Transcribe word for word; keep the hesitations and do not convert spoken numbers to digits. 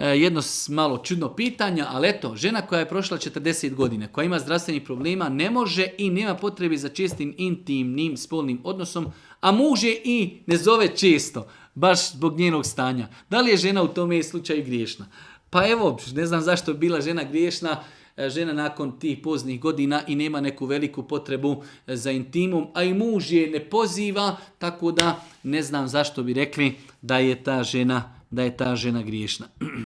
jedno malo čudno pitanje, ali eto, žena koja je prošla četrdeset godina, koja ima zdravstvenih problema, ne može i nema potrebe za čestim intimnim spolnim odnosom, a muž je i ne zove često, baš zbog njenog stanja. Da li je žena u tome slučaju griješna? Pa evo, ne znam zašto je bila žena griješna, žena nakon tih poznih godina i nema neku veliku potrebu za intimom, a i muž je ne poziva, tako da ne znam zašto bi rekli da je ta žena, da je ta žena griješna.